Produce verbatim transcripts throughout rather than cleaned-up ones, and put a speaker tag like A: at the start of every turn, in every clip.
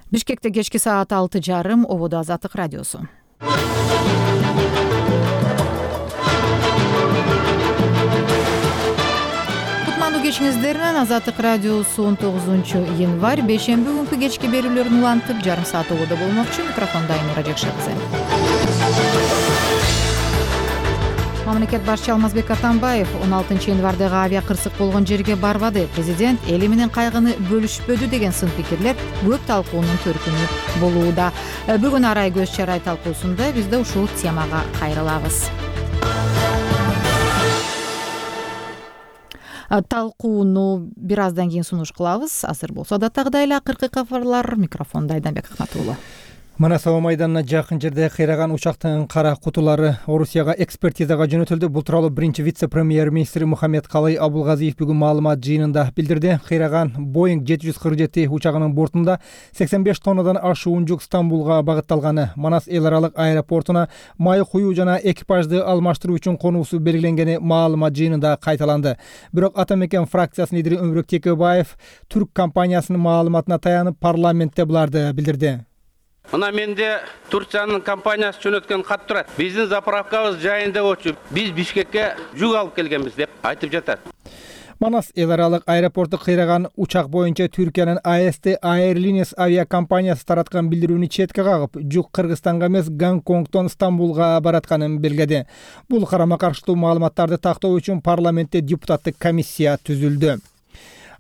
A: Бишкекте кечки саат алты жарым, ободо Азаттык радиосу. Кутмандуу кечиңиздер менен Азаттык радиосу он тогузунчу январь бейшемби күнкү кечки берүүлөрүн улантып, жарым саат ободо болмокчу. Микрофонда Айнура Жакшы кызы. Мамлекет башчы Алмазбек Атамбаев он алтынчы январдагы авиа кырсык болгон жерге барбады. Президент эли менен кайгыны бөлүшпөдү деген сын пикирлер көп талкуунун төркүнү болууда. Бүгүн арай көз чарай талкуусунда биз да ушул темага кайрылабыз. Талкууну бир аздан кийин сунуш кылабыз. Азыр болсо датагдагы эле акыркы кабарлар. Микрофонда Айданбек Акматуулу.
B: Манасова майданына жакын жерде кыйраган учактын кара кутулары Орусияга экспертизага жөнөтүлдү. Бул тууралуу биринчи вице-премьер-министр Мухаммедкалый Абулгазиев бүгүн маалымат жыйынында билдирди. Кыйраган Боинг жети жүз кырк жети учагынын бортунда сексен беш тоннадан ашуун жүк Стамбулга багытталганы, Манас эл аралык аэропортуна май куюу жана экипажды алмаштыруу үчүн конуусу белгиленгени маалымат жыйынында кайталанды. Бирок Ата мекен фракциясынын лидери Өмүрөк Текебаев түрк компаниясынын маалыматына таянып парламентте буларды билдирди.
C: Мына менде Турциянын компаниясы жөнөткөн кат турат. Биздин заправкабыз жайында болчу. Биз Бишкекке жүк алып келгенбиз деп айтып жатат.
B: Манас эл аралык аэропорту кыйраган учак боюнча Түркиянын А С T Airlines авиакомпаниясы тараткан билдирүүнү четке кагып, жүк Кыргызстанга эмес Гонконгдон Стамбулга баратканын белгиледи. Бул карама каршылуу маалыматтарды тактоо үчүн парламентте депутаттык комиссия түзүлдү.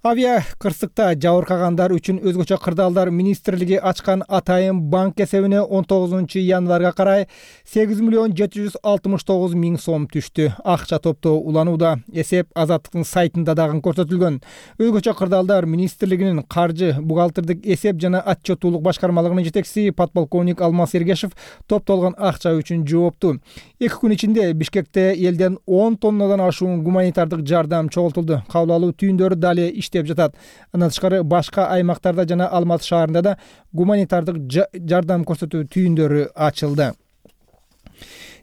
B: Авиа кырсыкта жабыркагандар үчүн өзгөчө кырдаалдар министрлиги ачкан атайын банк эсебине он тогузунчу январга карай сегиз миллион жети жүз алтымыш тогуз миң сом түштү. Акча топтоо уланууда. Эсеп Азаттыктын сайтында дагы көрсөтүлгөн. Өзгөчө кырдаалдар министрлигинин каржы, бухгалтердик эсеп жана отчеттуулук башкармалыгынын жетекчиси подполковник Алмаз Эргешев топтолгон акча үчүн жоопту. Эки күн ичинде Бишкекте элден он тоннадан ашуун гуманитардык жардам чогултулду. Кабыл алуу түйүндөрү дали иштеп жатат. Андан тышкары башка аймактарда жана Алматы шаарында да гуманитардык жардам көрсөтүү түйүндөрү ачылды.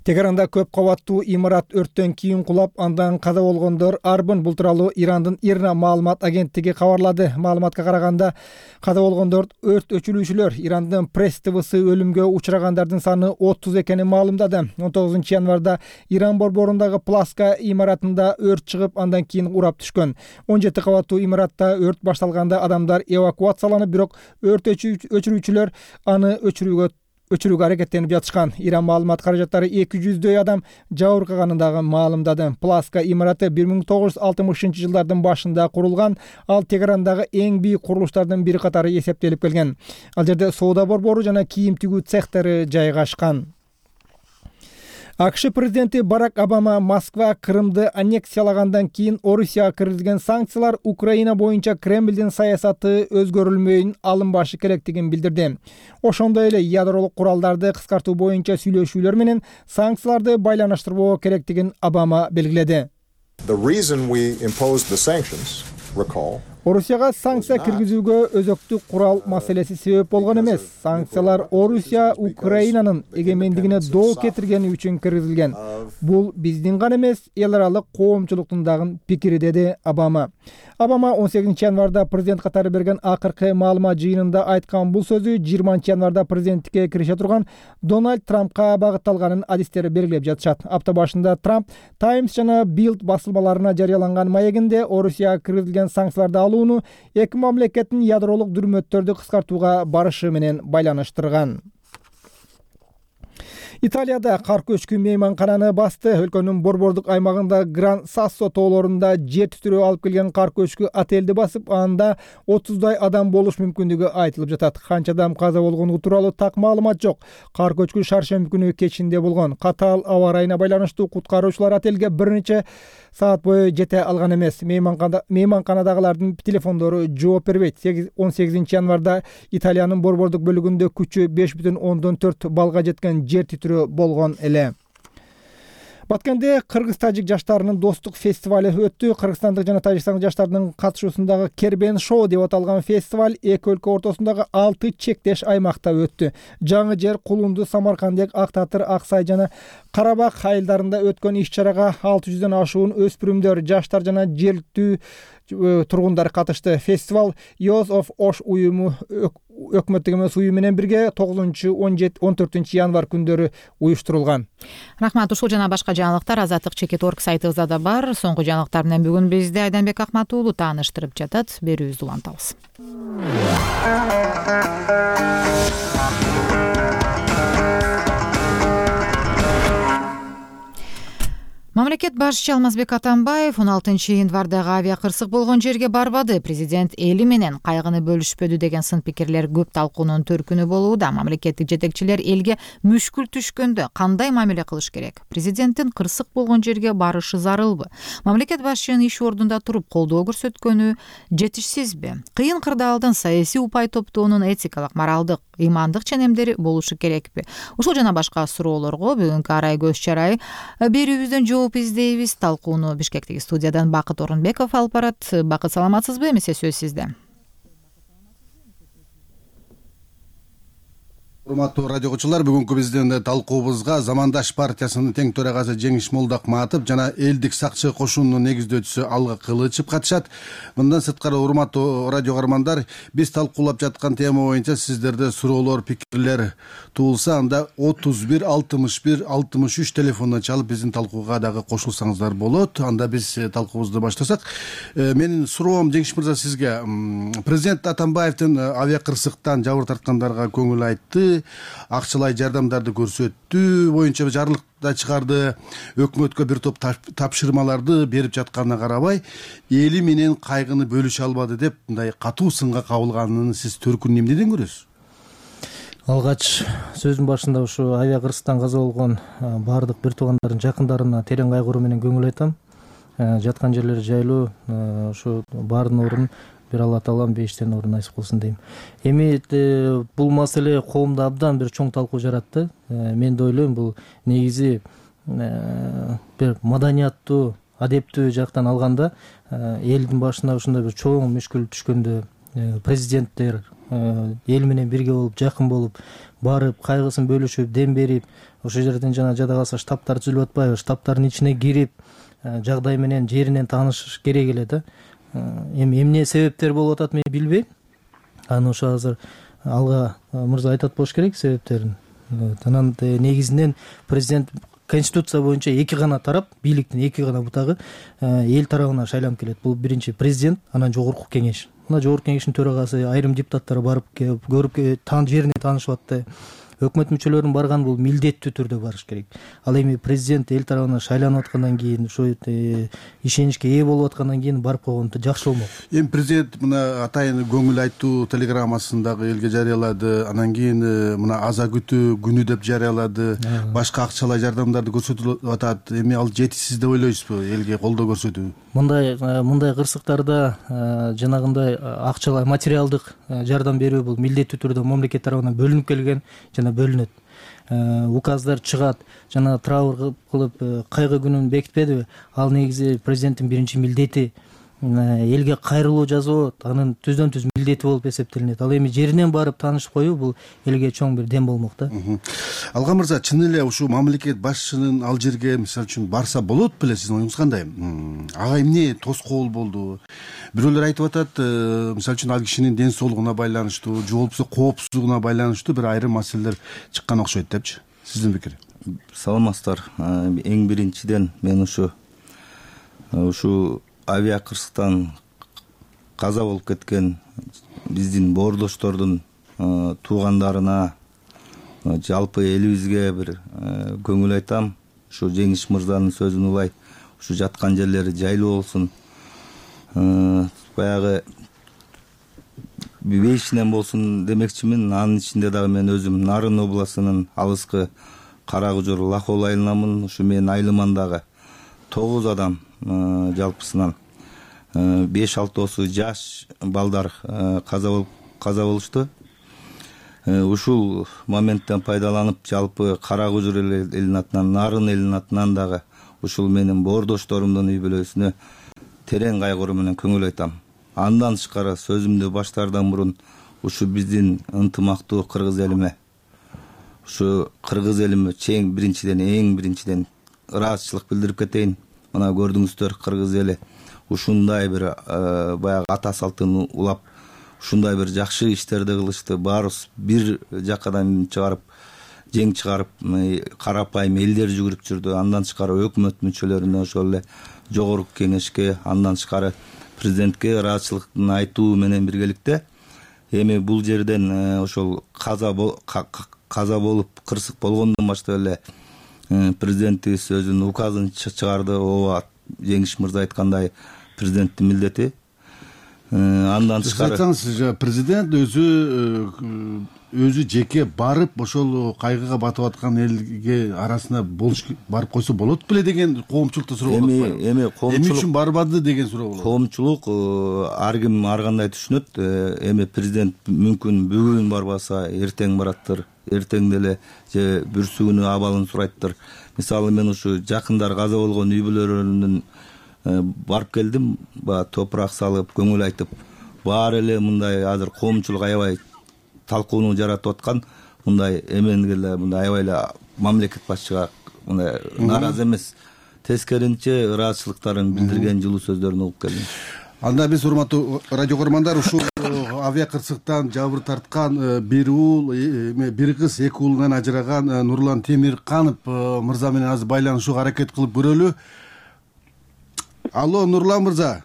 B: Тегеранда көп кабаттуу имарат өрттөн кийин кулап, андан каза болгондор арбын. Бул тууралуу Ирандын Ирна маалымат агенттиги кабарлады. Маалыматка караганда, каза болгондор өрт өчүрүүчүлөр. Ирандын пресс Т Всы өлүмгө учурагандардын саны отуз экенин маалымдады. он тогузунчу январда Иран борборундагы Пласка имаратында өрт чыгып, андан кийин урап түшкөн. он жети кабаттуу имаратта өрт башталганда адамдар эвакуацияланып, бирок өрт өчүрүүчүлөр аны өчүрүүгө өчүрүүгө аракеттенип жатышкан. Иран маалымат каражаттары эки жүздөй адам жабыркаганын дагы маалымдады. Пласка имараты бир миң тогуз жүз алтымышынчы жылдардын башында курулган. Ал Тегерандагы эң бийик курулуштардын бири катары эсептелип келген. Ал жерде соода борбору жана кийим тигүү цехтери жайгашкан. АКШ президенти Барак Обама Москва Крымды аннексиялагандан кийин Орусияга киргизилген санкциялар Украина боюнча Кремлдин саясаты өзгөрүлмөйүн алынбашы керектигин билдирди. Ошондой эле ядролук куралдарды кыскартуу боюнча сүйлөшүүлөр менен санкцияларды байланыштырбоо керектигин Обама белгиледи.
D: The reason we imposed the sanctions, recall,
B: Орусияга санкция киргизүүгө өзөктүк курал маселеси себеп болгон эмес. Санкциялар Орусия Украинанын эгемендигине доо кетиргени үчүн киргизилген. Бул биздин гана эмес, эл аралык коомчулуктун дагы пикири, деди Обама. Обама он сегизинчи январда президент катары берген акыркы маалымат жыйынында айткан бул сөзү жыйырманчы январда президенттикке кирише турган Дональд Трампка багытталганын адистери белгилеп жатышат. Апта башында Трамп Times жана Bild басылмаларына жарыяланган маегинде Орусияга киргизилген санкцияларды алууну эки мамлекеттин ядролук дүрмөттөрдү кыскартууга барышы менен байланыштырган. Италияда кар көчкү мейманкананы басты. Өлкөнүн борбордук аймагында Гран Сассо тоолорунда жер титирөө алып келген кар көчкү отелди басып, анда отуздай адам болуш мүмкүндүгү айтылып жатат. Канча адам каза болгону тууралуу так маалымат жок. Кар көчкү шаршемби күнү кечинде болгон. Катаал аба ырайына байланыштуу куткаруучулар отелге бир нече саат бою жете алган эмес. Мейманканадагылардын телефондору жооп бербейт. он сегизинчи январда Италиянын борбордук бөлүгүндө күчү беш бүтүн ондон төрт балга жеткен жер титирөө болгон эле. Баткенде кыргыз-тажик жаштарынын достук фестивалы өттү. Кыргызстандык жана тажикстандык жаштардын катышуусундагы Кербен шоу деп аталган фестиваль эки өлкө ортосундагы алты чектеш аймакта өттү. Жаңы жер, Кулунду, Самаркандек, Ак Татыр, Ак Сай жана Карабак айылдарында өткөн иш-чарага алты жүздөн ашуун өспүрүмдөр, жаштар жана жергиликтүү тургундар катышты. Фестиваль Youth of Osh уюму өкмөттүк эмес уюм менен бирге тогузунчу он төртүнчү январь күндөрү уюштурулган.
A: Рахмат. Ушул жана башка жаңылыктар азаттык чекит точка орг сайтыбызда да бар. Соңку жаңылыктар менен бүгүн бизди Айданбек Акмат уулу тааныштырып жатат. Берүүбүздү улантабыз. Мамлекет башчысы Алмазбек Атамбаев он алтынчы январдагы авиа кырсык болгон жерге барбады. Президент эли менен кайгыны бөлүшпөдү деген сын пикирлер көп талкуунун төркүнү болууда. Мамлекеттик жетекчилер элге мүшкүл түшкөндө кандай мамиле кылыш керек? Президенттин кырсык болгон жерге барышы зарылбы? Мамлекет башчынын иш ордунда туруп колдоо көрсөткөнү жетишсизби? Кыйын кырдаалдын саясий упай топтоонун этикалык, моралдык, ыймандык ченемдери болушу керекпи? Ушул жана башка суроолорго бүгүнкү арай көз чарай берүүбүздөн жооп издейбиз. Талкууну Бишкектеги студиядан Бакыт Орунбеков алып барат. Бакыт, саламатсызбы? Эмесе сөз сизде.
E: Урматтуу радио окуучулар, бүгүнкү биздин талкуубузга Замандаш партиясынын тең төрагасы Жеңиш Молдокматов жана элдик сакчы кошунунун негиздөөчүсү Алга Кылычев катышат. Мындан сырткары, урматтуу радио каармандар, биз талкуулап жаткан тема боюнча сиздерде суроолор, пикирлер туулса, анда отуз бир алтымыш бир алтымыш үч телефонуна чалып биздин талкууга дагы кошулсаңыздар болот. Анда биз талкуубузду баштасак, менин суроом Жеңиш мырза сизге. Президент Атамбаевдин авиа кырсыктан жабыр тарткандарга көңүл айтты, акчалай жардамдарды көрсөттү боюнча жарлык да чыгарды, өкмөткө бир топ тапшырмаларды берип жатканына карабай, эли менен кайгыны бөлүшө албады деп мындай катуу сынга кабылганын сиз төркүнүн эмнеден көрөсүз?
F: Алгач сөзүн башында ушу авиа кырсыктан каза болгон баардык бир туугандардын жакындарына терең кайгыруу менен көңүл айтам. Жаткан жерлери жайлуу, ушу баардын орун бир Алла Таалам бейиштен орун насип кылсын дейм. Эми бул маселе коомдо абдан бир чоң талкуу жаратты. Мен да ойлойм, бул негизи бир маданияттуу, адептүү жактан алганда элдин башына ушундай бир чоң мүшкүл түшкөндө президенттер эл менен бирге болуп, жакын болуп, барып, кайгысын бөлүшүп, дем берип, ошол жерден жана жада калса штабтар түзүлүп атпайбы, штабтардын ичине кирип, жагдай менен жеринен таанышыш керек эле да. Эми эмне себептер болуп атат мен билбейм. Аны ошо азыр Алга мырза айтат болуш керек себептерин. Анан негизинен президент Конституция боюнча эки гана тарап, бийликтин эки гана бутагы эл тарабына шайланып келет. Бул биринчи президент, анан жогорку кеңеш. Мына жогорку кеңештин төрагасы, айрым депутаттар барып көрүп, таан жерине таанышып атты. Өкмөт мүчөлөрүнүн барган бул милдеттүү түрдө барыш керек. Ал эми президент эл тарабынан шайланып аткандан кийин, ошо ишеничке ээ болуп аткандан кийин барып койгон жакшы болмок.
E: Эми президент мына атайын көңүл айтуу телеграммасын дагы элге жарыялады. Анан кийин мына аза күтүү күнү деп жарыялады. Башка акчалай жардамдарды көрсөтүлүп атат. Эми ал жетишсиз деп ойлойсузбу элге колдоо көрсөтүү?
F: Мындай мындай кырсыктарда жанагындай акчалай материалдык жардам берүү бул милдеттүү түрдө мамлекет тарабынан бөлүнүп келген жана бөлүнөт. Указдар чыгат, жана траур кылып кайгы күнүн бекитпедиби? Ал негизи президенттин биринчи милдети. Элге кайрылуу жасоо анын түздөн түз милдети болуп эсептелинет. Ал эми жеринен барып таанышып коюу бул элге чоң бир дем болмок да.
E: Алга мырза, чын эле ушу мамлекет башчынын ал жерге мисалы үчүн барса болот беле, сиздин оюңуз кандай? Ага эмне тоскоол болду? Бирөөлөр айтып атат, мисалы үчүн ал кишинин ден соолугуна байланыштуу, же болбосо коопсуздугуна байланыштуу бир айрым маселелер чыккан окшойт депчи. Сиздин пикир?
G: Саламатсыздар. Эң биринчиден мен ушу ушу авиа кырсыктан каза болуп кеткен биздин боордоштордун туугандарына, жалпы элибизге бир көңүл айтам. Ушу Жеңиш мырзанын сөзүн улай, ушу жаткан жерлери жайлуу болсун. Баягы бейишинен болсун демекчимин. Анын ичинде дагы мен өзүм Нарын областынын алыскы Карагужур Лахол айылынамын. Ушу менин айылымандагы тогуз адам жалпысынан беш алтоосу жаш балдар каза болуп каза болушту. Ушул моменттен пайдаланып, жалпы Карагужур элинин атынан, Нарын элинин атынан дагы ушул менин боордошторумдун үй бүлөсүнө терең кайгыруу менен көңүл айтам. Андан тышкары сөзүмдү баштаардан мурун ушу биздин ынтымактуу кыргыз элиме, ушу кыргыз элиме чең биринчиден эң биринчиден ыраазычылык билдирип кетейин. Мына көрдүңүздөр, кыргыз эли ушундай бир баягы ата салтын улап, ушундай бир жакшы иштерди кылышты. Баарыбыз бир жакадан чыгарып жең чыгарып карапайым элдер жүгүрүп жүрдү. Андан тышкары өкмөт мүчөлөрүнө, ошол эле жогорку кеңешке, андан тышкары президентке ыраазычылыктын айтуу менен биргеликте эми бул жерден ошол каза каза болуп кырсык болгондон баштап эле президентибиз өзүнүн указын чыгарды. ооба, Жеңиш мырза айткандай президенттин милдети. Андан тышкары
E: айтсаңыз, президент өзү өзү жеке барып ошол кайгыга батып аткан элге арасына болуш барып койсо болот беле деген коомчулукта суроо болот.
G: Эми эми коомчулук
E: эмне үчүн барбады деген суроо болот.
G: Коомчулук ар ким ар кандай түшүнөт. Эми президент мүмкүн бүгүн барбаса эртең бараттыр, эртең деле же бүрсүгүнү абалын сурайттыр. Мисалы мен ушу жакындар каза болгон үй бүлөлөрүнүн барып келдим, баягы топурак салып, көңүл айтып. Баары эле мындай азыр коомчулук аябай талкууну жаратып аткан, мындай эмени эле мындай аябай эле мамлекет башчыга мындай нааразы эмес, тескеринче ыраазычылыктарын билдирген жылуу сөздөрүн угуп келдим.
E: Анда биз, урматтуу радио көрөрмандар, ушул авиа кырсыктан жабыр тарткан бир уул, бир кыз, эки уулунан ажыраган Нурлан Темирканов мырза менен азыр байланышууга аракет кылып көрөлү. Алло, Нурлан мырза.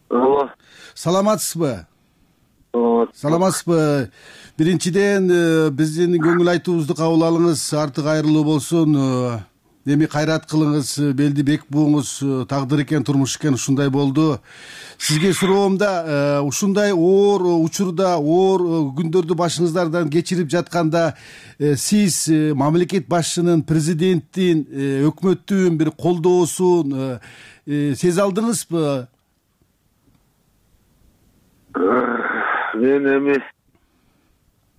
H: Алло.
E: Саламатсызбы? Саламатсызбы? Биринчиден биздин көңүл айтуубузду кабыл алыңыз, артык кайрылуу болсун. Эми кайрат кылыңыз, белди бек бууңуз, тагдыр экен, турмуш экен, ушундай болду. Сизге суроомда, ушундай оор учурда, оор күндөрдү башыңыздардан кечирип жатканда, сиз мамлекет башчынын, президенттин, өкмөттүн бир колдоосун сезе алдыңызбы?
H: Мен эми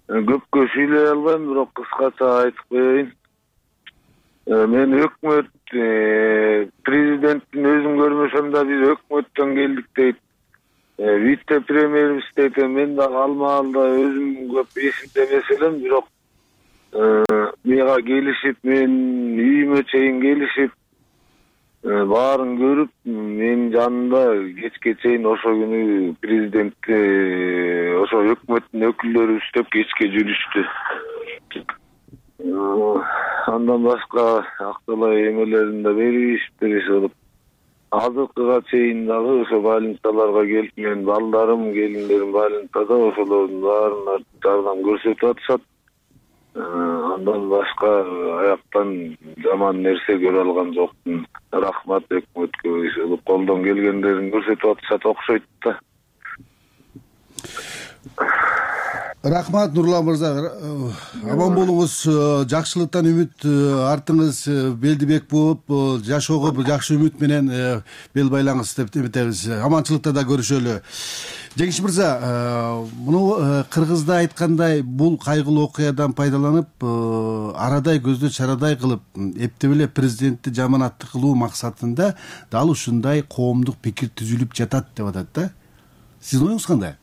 H: көпкө сүйлөй албайм, бирок кыскача айтып коеюн. Мен өкмөт, президенттин өзүн көрмөсөм да биз өкмөттөн келдик дейт. Вице премьерибиз дейт. Мен дагы ал маалда өзүм көп эсимде эмес элем, бирок мага келишип, мен үйүмө чейин келишип, баарын көрүп, мен жанында кечке чейин ошо күнү президентти, ошо өкмөттүн өкүлдөрү үстөп кечке жүрүштү. Андан башка акталай эмелерин да беришиптир, иши азыркыга чейин дагы ошо больницаларга келип, мен балдарым, келиндерим больницада, ошолордун баарына жардам көрсөтүп атышат. Андан башка аяктан жаман нерсе көрө алган жокмун. Рахмат өкмөткө, иши колдон келгендерин көрсөтүп атышат окшойт да.
E: Рахмат, Нурлан мырза. Аман болуңуз, жакшылыктан үмүт артыңыз, белди бек бууп, жашоого бир жакшы үмүт менен бел байлаңыз деп эметебиз. Аманчылыкта да көрүшөлү. Жеңиш мырза, муну кыргызда айткандай, бул кайгылуу окуядан пайдаланып, арадай көздө чарадай кылып, эптеп эле президентти жаманаттык кылуу максатында дал ушундай коомдук пикир түзүлүп жатат деп атат да. Сиздин оюңуз кандай?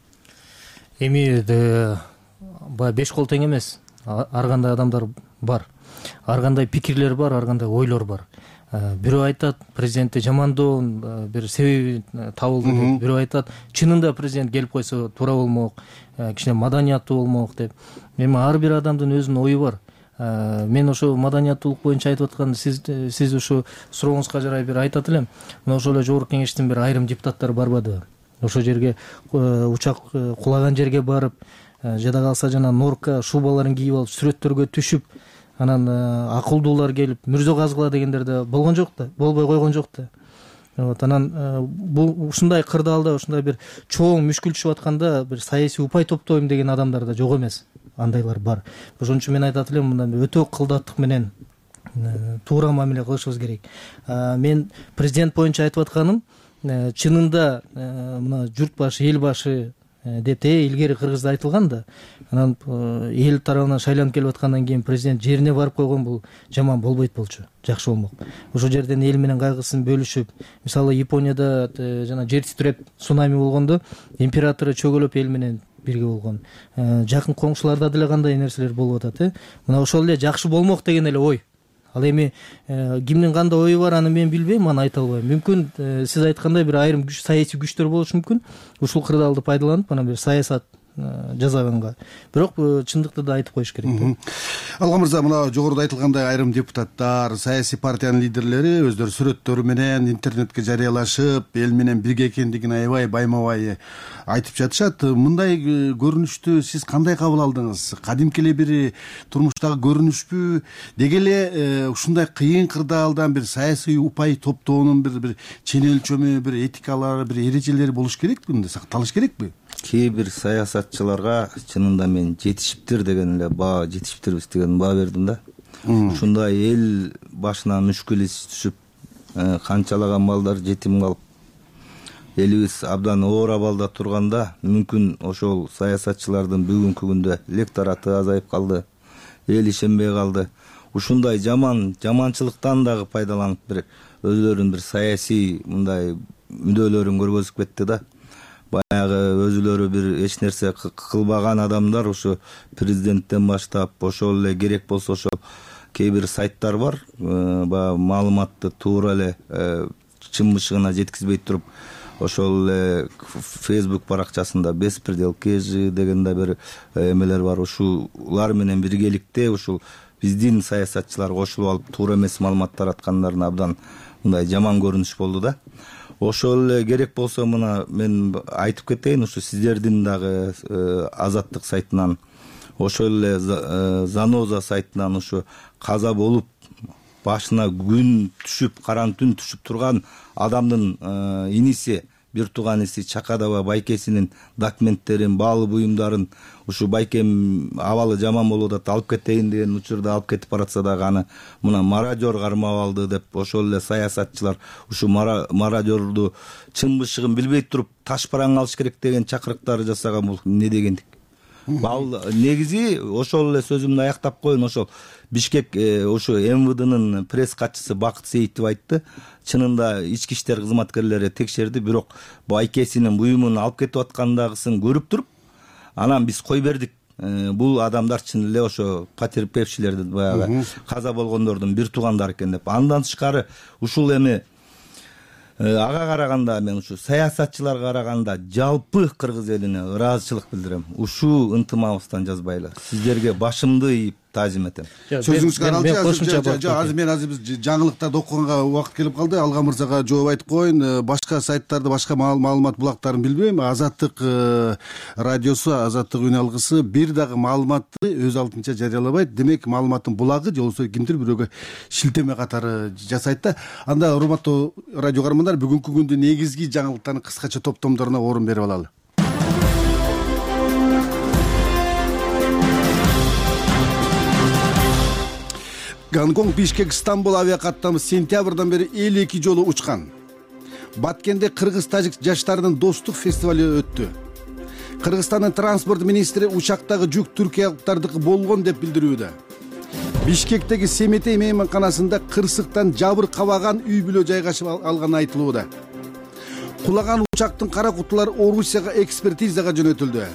F: Эми баягы беш кол тең эмес. Ар кандай адамдар бар. Ар кандай пикирлер бар, ар кандай ойлор бар. Бирөө айтат, президентти жамандоонун бир себеби табылды деп. Бирөө айтат, чынында президент келип койсо туура болмок, кичине маданияттуу болмок деп. Эми ар бир адамдын өзүнүн ою бар. Мен ошо маданияттуулук боюнча айтып атканда, сиз сиз ошо сурооңузга жарай бир айтат элем. Мына ошол эле жогорку кеңештин бир айрым депутаттары барбадыбы? Ошол жерге учак кулаган жерге барып, жада калса жана норка шубаларын кийип алып сүрөттөргө түшүп, анан акылдуулар келип мүрзө казгыла дегендер да болгон жок да, болбой койгон жок да. Вот анан бул ушундай кырдаалда, ушундай бир чоң мүшкүл түшүп атканда бир саясий упай топтойм деген адамдар да жок эмес. Андайлар бар. Ошон үчүн мен айтат элем, мындан өтө кылдаттык менен туура мамиле кылышыбыз керек. Мен президент боюнча айтып атканым, чынында мына журт башы, эл башы деп илгери Кыргызда айтылган да. Анан эл тарабынан шайланып келип аткандан кийин президент жерине барып койгон бул жаман болбойт болчу, жакшы болмок. Ошол жерден эл менен кайгысын бөлүшүп, мисалы Японияда жана жер титиреп цунами болгондо императору чөгөлөп эл менен бирге болгон. Жакын коңшуларда деле кандай нерселер болуп атат, э? Мына ошол эле жакшы болмок деген эле ой. Ал эми кимдин кандай ою бар аны мен билбейм, аны айта албайм. Мүмкүн сиз айткандай бир айрым күч, саясий күчтөр болушу мүмкүн. Ушул кырдаалды пайдаланып анан бир саясат жасаганга. Бирок чындыкты да айтып коюш керек.
E: Алга мырза, мына жогоруда айтылгандай айрым депутаттар, саясий партиянын лидерлери өздөрү сүрөттөрү менен интернетке жарыялашып, эл менен бирге экендигин аябай байма-бай айтып жатышат. Мындай көрүнүштү сиз кандай кабыл алдыңыз? Кадимки эле бир турмуштагы көрүнүшпү? Деги эле ушундай кыйын кырдаалдан бир саясий упай топтоонун бир бир чен өлчөмү, бир этикалары, бир эрежелери болуш керекпи? Мындай сакталыш керекпи?
G: Кээ бир саясатчыларга чынында мен жетишиптир деген эле баа, жетишиптирбиз деген баа бердим да. Ушундай эл башына мүшкүл иш түшүп, канчалаган балдар жетим калып, элибиз абдан оор абалда турганда, мүмкүн ошол саясатчылардын бүгүнкү күндө электораты азайып калды, эл ишенбей калды. Ушундай жаман жаманчылыктан дагы пайдаланып бир өзлөрүнүн бир саясий мындай мүдөлөрүн көргөзүп кетти да. Баягы өзүлөрү бир эч нерсе кылбаган адамдар ушу президенттен баштап, ошол эле керек болсо ошол кээ бир сайттар бар, баягы маалыматты туура эле чын бышыгына жеткизбей туруп, ошол эле Facebook баракчасында беспредел кежи деген да бир эмелер бар. Ушулар менен биргеликте ушул биздин саясатчылар кошулуп алып туура эмес маалымат тараткандарына абдан мындай жаман көрүнүш болду да. Ошол эле керек болсо мына мен айтып кетейин, ушу сиздердин дагы Азаттык сайтынан, ошол эле Заноза сайтынан ушу каза болуп башына күн түшүп, караң түн түшүп турган адамдын иниси, бир тууган иниси Чакадава байкесинин документтерин, баалы буюмдарын ушу байкем абалы жаман болуп атат, алып кетейин деген учурда алып кетип баратса дагы аны мына мародер кармап алды деп, ошол эле саясатчылар ушу мародерду чын бышыгын билбей туруп таш бараң алыш керек деген чакырыктар жасаган, бул эмне дегендик? Бал негизи ошол эле сөзүмдү аяктап коеюн, ошол Бишкек ушу эм вэ дынын пресс катчысы Бакыт Сейитов айтты. Чынында ички иштер кызматкерлери текшерди, бирок байкесинин буюмун алып кетип аткандагысын көрүп туруп, анан биз кой бердик. Бул адамдар чын эле ошо потерпевшилерди, баягы каза болгондордун бир туугандары экен деп. Андан тышкары ушул эми ага караганда, мен ушу саясатчыларга караганда жалпы кыргыз элине ыраазычылык билдирем. Ушу ынтымагыбыздан жазбайлы. Сиздерге башымды ийип таазим этем.
E: Сөзүңүзгө аралашып, азыр мен азыр биз жаңылыктарды окуганга убакыт келип калды. Алга мырзага жооп айтып коеюн. Башка сайттарды, башка маалымат булактарын билбейм. Азаттык радиосу, Азаттык үн алгысы бир дагы маалыматты өз алдынча жарыялабайт. Демек, маалыматтын булагы же болбосо кимдир бирөөгө шилтеме катары жасайт да. Анда урматтуу радио каармандар, бүгүнкү күндүн негизги жаңылыктарын кыскача топтомдоруна орун берип алалы. Гонконг, Бишкек, Стамбул авиакаттамы сентябрдан бери элүү эки жолу учкан. Баткенде кыргыз-тажик жаштарынын достук фестивали өттү. Кыргызстандын транспорт министри учактагы жүк түркиялыктардыкы болгон деп билдирүүдө. Бишкектеги Семетей мейманканасында кырсыктан жабыр кабаган үй бүлө жайгашып алганы айтылууда. Кулаган учактын кара кутулары Орусияга экспертизага жөнөтүлдү.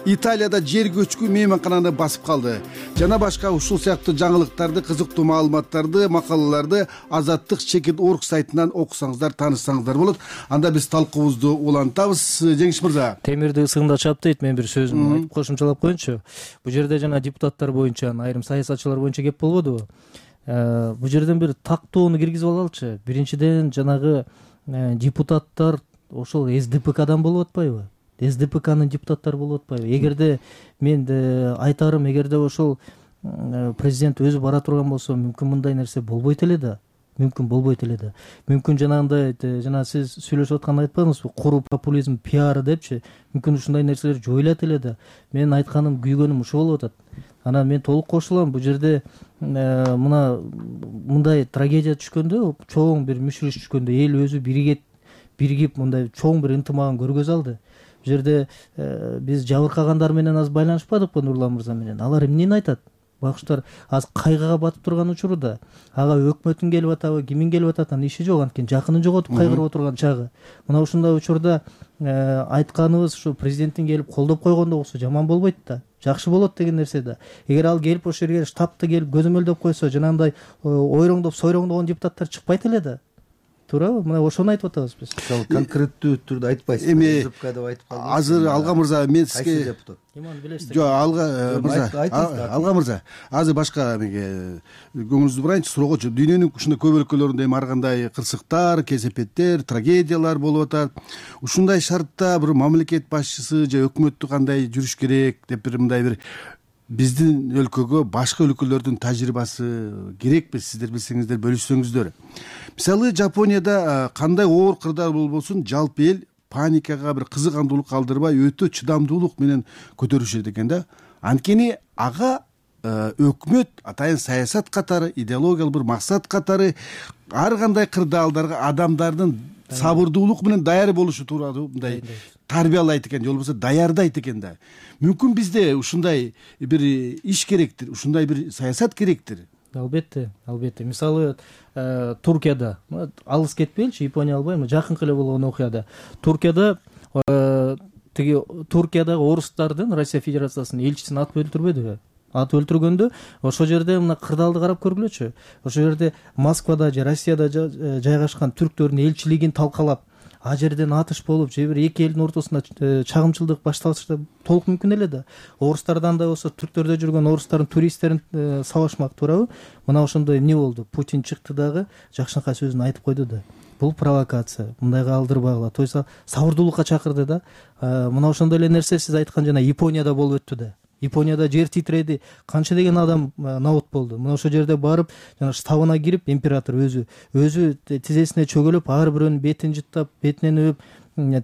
E: Италияда жер көчкү мейманкананы басып калды. Жана башка ушул сыяктуу жаңылыктарды, кызыктуу маалыматтарды, макалаларды Азаттык чекит точка орг сайтынан окусаңыздар, таанышсаңыздар болот. Анда биз талкуубузду улантабыз. Жеңиш мырза.
F: Темирди ысыгында чап дейт, мен бир сөзүм айтып кошумчалап коеюнчу. Бул жерде жана депутаттар боюнча, айрым саясатчылар боюнча кеп болбодубу? Бул жерден бир тактоону киргизип алалычы. Биринчиден жанагы депутаттар ошол эс дэ пэ кадан болуп атпайбы? эс дэ пэ канын депутаттары болуп атпайбы? Эгерде мен айтарым, эгерде ошол президент өзү бара турган болсо, мүмкүн мындай нерсе болбойт эле да. Мүмкүн болбойт эле да. Мүмкүн жанагындай, жана сиз сүйлөшүп атканда айтпадыңызбы, куру популизм, пиар депчи. Мүмкүн ушундай нерселер жоюлат эле да. Менин айтканым, күйгөнүм ушу болуп атат. Анан мен толук кошулам. Бул жерде мына мындай трагедия түшкөндө, чоң бир мүшүрүш түшкөндө эл өзү биригип, биригип мындай чоң бир ынтымагын көргөзө алды. Бул жерде биз жабыркагандар менен аз байланышпадыкпы Нурлан мырза менен? Алар эмнени айтат? байкуштар азыр кайгыга батып турган учурда ага өкмөттүн келип атабы, кимин келип атат анын иши жок, анткени жакынын жоготуп кайгырып отурган чагы. Мына ушундай учурда айтканыбыз ушу президенттин келип колдоп койгондо болсо жаман болбойт да, жакшы болот деген нерсе да. Эгер ал келип ошол жерге штабты келип көзөмөлдөп койсо, жанагындай ойроңдоп сойроңдогон депутаттар чыкпайт эле да. Туурабы? Мына ошону айтып атабыз биз.
G: Мисалы конкреттүү түрдө айтпайсыз.
E: Эми
G: деп айтып калдыңыз.
E: азыр Алга мырза, мен сизге
F: Иман билесиз.
E: жок, Алга мырза, Алга мырза, азыр башка эмеге көңүлүңүздү бурайынчы, суроогочу. Дүйнөнүн ушундай көп өлкөлөрүндө эми ар кандай кырсыктар, кесепеттер, трагедиялар болуп атат. Ушундай шартта бир мамлекет башчысы же өкмөттү кандай жүрүш керек деп бир мындай бир биздин өлкөгө башка өлкөлөрдүн тажрыйбасы керекпи, сиздер билсеңиздер бөлүшсөңүздөр. Мисалы Жапонияда кандай оор кырдаал болбосун, жалпы эл паникага, бир кызыгандуулук калтырбай өтө чыдамдуулук менен көтөрүшөт экен да. Анткени ага өкмөт атайын саясат катары, идеологиялык бир максат катары ар кандай кырдаалдарга адамдардын сабырдуулук менен даяр болушу тууралуу мындай тарбиялайт экен, же болбосо даярдайт экен да. Мүмкүн бизде ушундай бир иш керектир, ушундай бир саясат керектир.
F: Албетте, албетте. Мисалы Туркияда, алыс кетпейинчи, Япония албайм, жакынкы эле болгон окуяда. Туркияда тиги Туркиядагы орустардын Россия Федерациясынын элчисин атып өлтүрбөдүбү? Атып өлтүргөндө ошол жерде мына кырдаалды карап көргүлөчү. Ошол жерде Москвада же Россияда жайгашкан түрктөрдүн элчилигин талкалап, а жерден атыш болуп, же бир эки элдин ортосунда чагымчылдык башталышы толук мүмкүн эле да. Орустардан да болсо, түрктөрдө жүргөн орустардын туристтерин сабашмак, туурабы? Мына ошондой эмне болду? Путин чыкты дагы жакшынакай сөзүн айтып койду да. Бул провокация, мындайга алдырбагыла. То есть сабырдуулукка чакырды да. Мына ошондой эле нерсе сиз айткан жана Японияда болуп өттү да. Японияда жер титиреди, канча деген адам набут болду. Мына ошол жерде барып, жана штабына кирип, император өзү өзү тизесине чөгөлүп, ар бирөөнүн бетин жыттап, бетинен өп,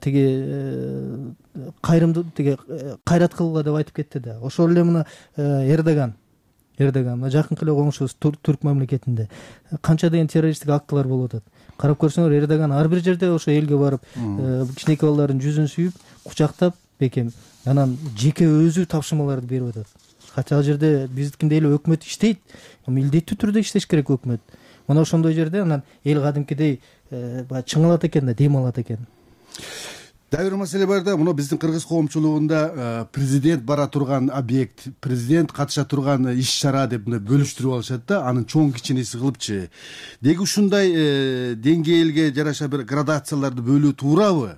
F: тиги кайрымды тиги кайрат кылгыла деп айтып кетти да. Ошол эле мына Эрдоган Эрдоган мына жакынкы эле коңшубуз түрк мамлекетинде канча деген террористтик актылар болуп атат. Карап көрсөңөр, Эрдоган ар бир жерде ошо элге барып, кичинекей балдардын жүзүн сүйүп, кучактап, бекем анан жеке өзү тапшырмаларды берип атат. Хотя ал жерде биздикиндей эле өкмөт иштейт, милдеттүү түрдө иштеш керек өкмөт. Мына ошондой жерде анан эл кадимкидей баягы чыңалат экен да, дем алат экен.
E: Дагы бир маселе бар да, мына биздин кыргыз коомчулугунда президент бара турган объект, президент катыша турган иш-чара деп мындай бөлүштүрүп алышат да, анын чоң кичинеси кылыпчы. Деги ушундай деңгээлге жараша бир градацияларды бөлүү туурабы?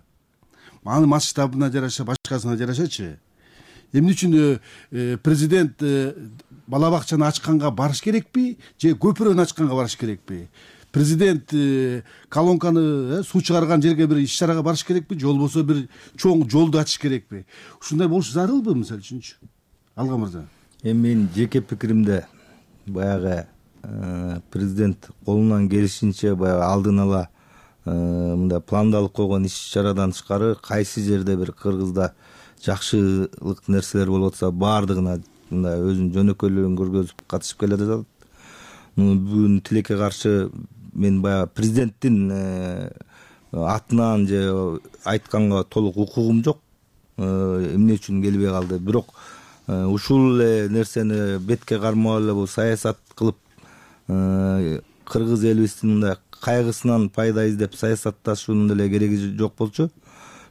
E: Анын масштабына жараша, башкасына жарашачы. Эмне үчүн президент бала бакчаны ачканга барыш керекпи, же көпүрөнү ачканга барыш керекпи? Президент колонканы суу чыгарган жерге бир иш-чарага барыш керекпи, же болбосо бир чоң жолду ачыш керекпи? Ушундай болуш зарылбы, мисалы үчүнчү? Алга мырза.
G: Эми менин жеке пикиримде баягы президент колунан келишинче баягы алдын ала мындай пландалып койгон иш-чарадан тышкары кайсы жерде бир кыргызда жакшылык нерселер болуп атса, баардыгына мындай өзүнүн жөнөкөйлүгүн көргөзүп катышып келе жатат. Бүгүн тилекке каршы мен баягы президенттин атынан же айтканга толук укугум жок. Эмне үчүн келбей калды? Бирок ушул эле нерсени бетке кармап эле бул саясат кылып кыргыз элибиздин мындай кайгысынан пайда издеп саясатташуунун деле кереги жок болчу.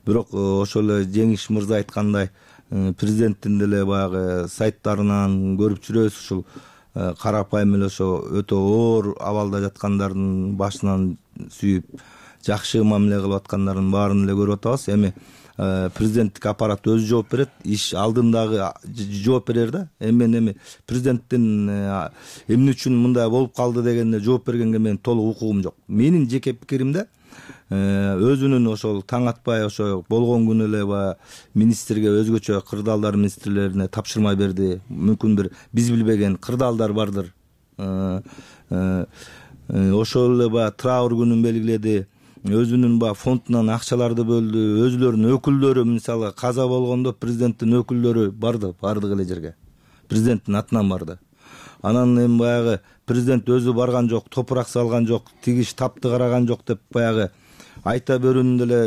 G: Бирок ошол эле Жеңиш мырза айткандай, президенттин деле баягы сайттарынан көрүп жүрөбүз, ушул карапайым эле ошо өтө оор абалда жаткандардын башынан сүйүп жакшы мамиле кылып аткандардын баарын эле көрүп атабыз. Эми президенттик аппарат өзү жооп берет, иш алдындагы жооп берер да. Эми мен эми президенттин эмне үчүн мындай болуп калды дегенде жооп бергенге мен толук укугум жок. Менин жеке пикиримде өзүнүн ошол таң атпай ошо болгон күнү эле баягы министрге, өзгөчө кырдаалдар министрлерине тапшырма берди. Мүмкүн бир биз билбеген кырдаалдар бардыр. Ошол эле баягы траур күнүн белгиледи. Өзүнүн баягы фондунан акчаларды бөлдү. Өзүлөрүнүн өкүлдөрү, мисалы каза болгондо президенттин өкүлдөрү барды, бардык эле жерге. Президенттин атынан барды. Анан эми баягы президент өзү барган жок, топурак салган жок, тиги штабты караган жок деп баягы айта берүүнүн деле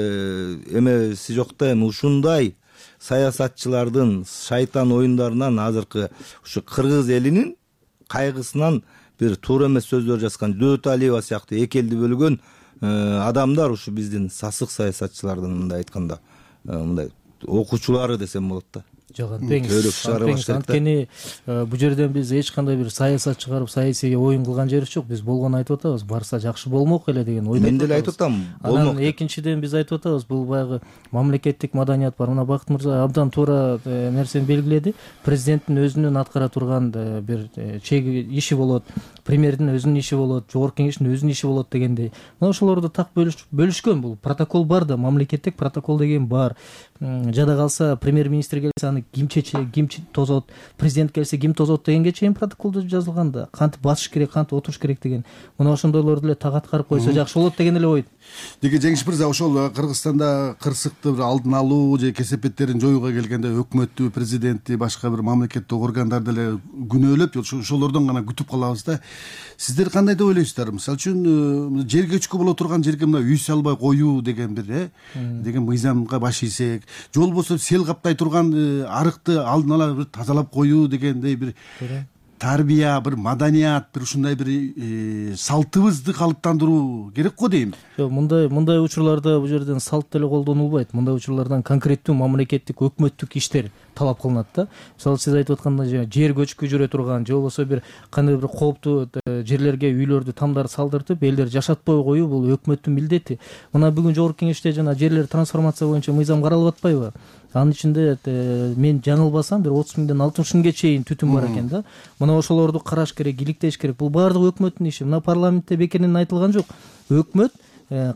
G: эмеси жок да. Эми ушундай саясатчылардын шайтан оюндарынан азыркы ушу кыргыз элинин кайгысынан бир туура эмес сөздөр жазган Дөталиева сыяктуу эки элди бөлгөн адамдар ушу биздин сасык саясатчылардын мындай айтканда мындай окуучулары десем болот да.
F: Жок, анткени анткени бул жерден биз эч кандай бир саясат чыгарып саясийге оюн кылган жерибиз жок. Биз болгону айтып атабыз, барса жакшы болмок эле деген ойдо.
G: Мен деле айтып атам, болмок.
F: Анан экинчиден биз айтып атабыз, бул баягы мамлекеттик маданият бар. Мына Бакыт мырза абдан туура нерсени белгиледи. Президенттин өзүнүн аткара турган бир чеги иши болот, премьердин өзүнүн иши болот, жогорку кеңештин өзүнүн иши болот дегендей. Мына ошолорду так бөлүшкөн. Бул протокол бар да, мамлекеттик протокол деген бар. Жада калса премьер-министр келсе аны ким чечет, ким тозот, президент келсе ким тозот дегенге чейин протоколдо жазылган да. Кантип басыш керек, кантип отуруш керек деген. Мына ошондойлорду эле так аткарып койсо жакшы болот деген эле ой.
E: Деги Жеңиш мырза, ошол Кыргызстанда кырсыкты алдын алуу же кесепеттерин жоюуга келгенде өкмөттү, президентти, башка бир мамлекеттик органдарды эле күнөөлөп, ошолордон гана күтүп калабыз да. Сиздер кандай деп ойлойсуздар? Мисалы үчүн жер көчкү боло турган жерге мына үй салбай коюу деген бир э деген мыйзамга баш ийсек, же болбосо сел каптай турган арыкты алдын ала бир тазалап коюу дегендей бир тарбия, бир маданият, бир ушундай бир салтыбызды калыптандыруу керек го дейм.
F: Жок, мындай мындай учурларда бул жерден салт деле колдонулбайт. Мындай учурлардан конкреттүү мамлекеттик өкмөттүк иштер талап кылынат да. Мисалы сиз айтып аткандай жер көчкү жүрө турган, же болбосо бир кандай бир кооптуу жерлерге үйлөрдү тамдар салдыртып, элдер жашатпай коюу бул өкмөттүн милдети. Мына бүгүн жогорку кеңеште жана жерлер трансформация боюнча мыйзам каралып атпайбы? Анын ичинде мен жаңылбасам бир отуз миңден алтымыш миңге чейин түтүн бар экен да. Мына ошолорду караш керек, иликтеш керек. Бул баардыгы өкмөттүн иши. Мына парламентте бекеринен айтылган жок. Өкмөт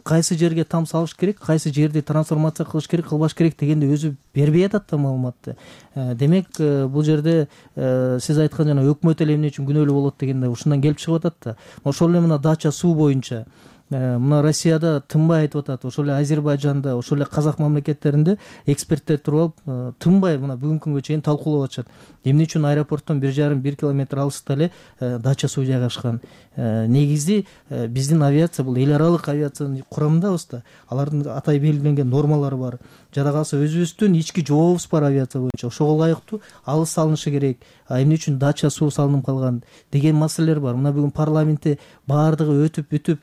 F: кайсы жерге там салыш керек, кайсы жерди трансформация кылыш керек, кылбаш керек дегенди өзү бербей атат да маалыматты. Демек бул жерде сиз айткан жана өкмөт эле эмне үчүн күнөөлүү болот дегенде ушундан келип чыгып атат да. Ошол эле мына дача суу боюнча мына Россияда тынбай айтып атат, ошол эле Азербайжанда, ошол эле казак мамлекеттеринде эксперттер туруп алып тынбай мына бүгүнкү күнгө чейин талкуулап атышат. Эмне үчүн аэропорттон бир жарым бир километр алыста эле дача суу жайгашкан? Негизи биздин авиация бул эл аралык авиациянын курамындабыз да. Алардын атай белгиленген нормалары бар. Жада калса өзүбүздүн ички жообубуз бар авиация боюнча. Ошого ылайыктуу алыс салынышы керек. А эмне үчүн дача суу салынып калган деген маселелер бар. Мына бүгүн парламентте баардыгы өтүп бүтүп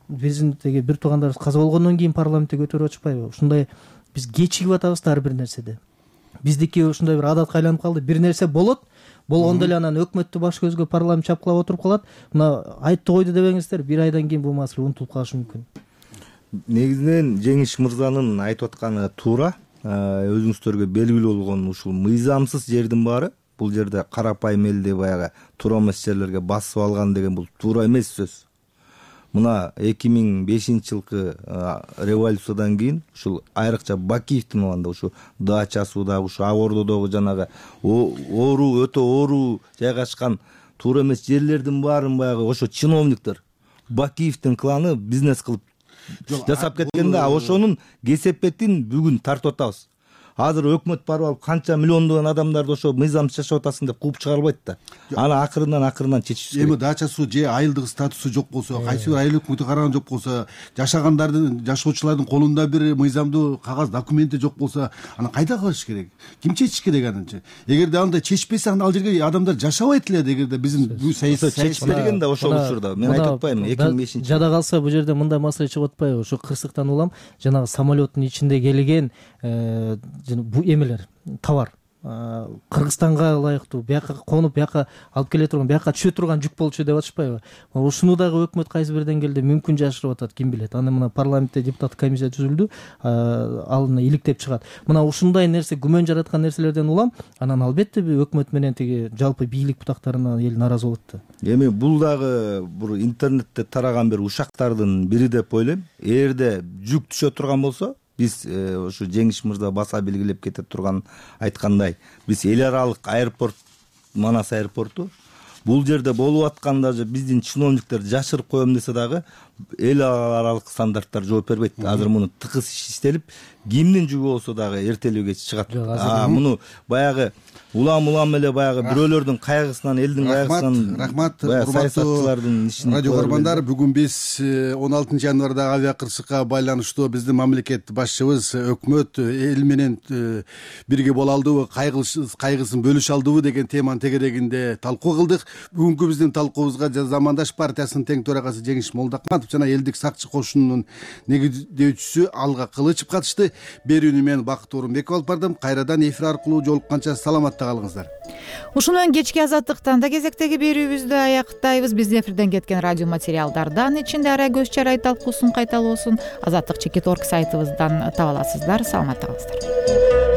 F: биздин теги бир туугандарыбыз каза болгондон кийин парламентте көтөрүп атышпайбы? Ушундай биз кечигип атабыз да ар бир нерседе. Биздики ушундай бир адатка айланып калды. Бир нерсе болот, болгондо эле анан өкмөттү баш көзгө парламент чапкылап отуруп калат. Мына айтты койду дебеңиздер, бир айдан кийин бул маселе унутулуп калышы мүмкүн.
G: Негизинен Жеңиш мырзанын айтып атканы туура. Өзүңүздөргө белгилүү болгон ушул мыйзамсыз жердин баары бул жерде карапайым элди баягы туура эмес жерлерге басып алган деген бул туура эмес сөз. Мына эки миң бешинчи жылкы революциядан кийин ушул айрыкча Бакиевдин уланда ушу дача сууда, ушу ак ордодогу жанагы оору өтө оору жайгашкан туура эмес жерлердин баарын баягы ошо чиновниктер Бакиевдин кланы бизнес кылып жасап кеткен да. Ошонун кесепетин бүгүн тартып атабыз. Азыр өкмөт барып алып канча миллиондогон адамдарды ошо мыйзамсыз жашап атасың деп кууп чыгарбайт да. Аны акырынан акырынан чечиш керек.
E: Эми дача суу же айылдык статусу жок болсо, кайсы бир айыл өкмөтү караган жок болсо, жашагандардын, жашоочулардын колунда бир мыйзамдуу кагаз документи жок болсо, аны кайда кылыш керек? Ким чечиш керек анычы? Эгерде андай чечпесе, анда ал жерге адамдар жашабайт эле. Эгерде биздин бул саясий
G: чечип берген да ошол учурда. Мен айтып атпайм, эки миң бешинчи
F: жада калса бул жерде мындай маселе чыгып атпайбы? Ошо кырсыктан улам жанагы самолеттун ичинде келген бу эмелер, товар Кыргызстанга ылайыктуу, бияка конуп, бияка алып келе турган, бияка түшө турган жүк болчу деп атышпайбы? Ушуну дагы өкмөт кайсы бир деңгээлде мүмкүн жашырып атат, ким билет. Аны мына парламентте депутаттык комиссия түзүлдү, ал иликтеп чыгат. Мына ушундай нерсе, күмөн жараткан нерселерден улам, анан албетте өкмөт менен теги жалпы бийлик бутактарына эл наразы болот да.
G: Эми бул дагы бир интернетте тараган бир ушактардын бири деп ойлойм. Эгерде жүк түшө турган болсо, биз ушу Жеңиш мырза баса белгилеп кете турган айткандай, биз эл аралык аэропорт, Манас аэропорту бул жерде болуп атканда же биздин чиновниктер жашырып коем десе дагы, эл аралык стандарттар жооп бербейт. Азыр муну тыкыз иштелип, кимдин жүгү болсо дагы эртелүү кеч чыгат. Муну баягы улам улам эле баягы бирөөлөрдүн кайгысынан, элдин кайгысынан,
E: рахмат,
G: саясатчылардын ишин.
E: Радио көрөрмандар, бүгүн биз он алтынчы январдагы авиа кырсыкка байланыштуу биздин мамлекет башчыбыз, өкмөт эл менен бирге боло алдыбы, кайгысын бөлүшө алдыбы деген теманын тегерегинде талкуу кылдык. Бүгүнкү биздин талкуубузга Замандаш партиясынын тең төрагасы Жеңиш Молдокматов жана элдик сакчы кошунунун негиздөөчүсү Алга Кылычев катышты. Берүүнү мен Бакыт Орунбеков алып бардым. Кайрадан эфир аркылуу жолукканча саламатта калыңыздар.
A: Ушуну менен кечки азаттыктан да кезектеги берүүбүздү аяктайбыз. Биздин эфирден кеткен радио материалдардан ичинде ара көз чарай талкуусун кайталоосун азаттык чекит точка орг сайтыбыздан таба аласыздар. Саламатта калыңыздар.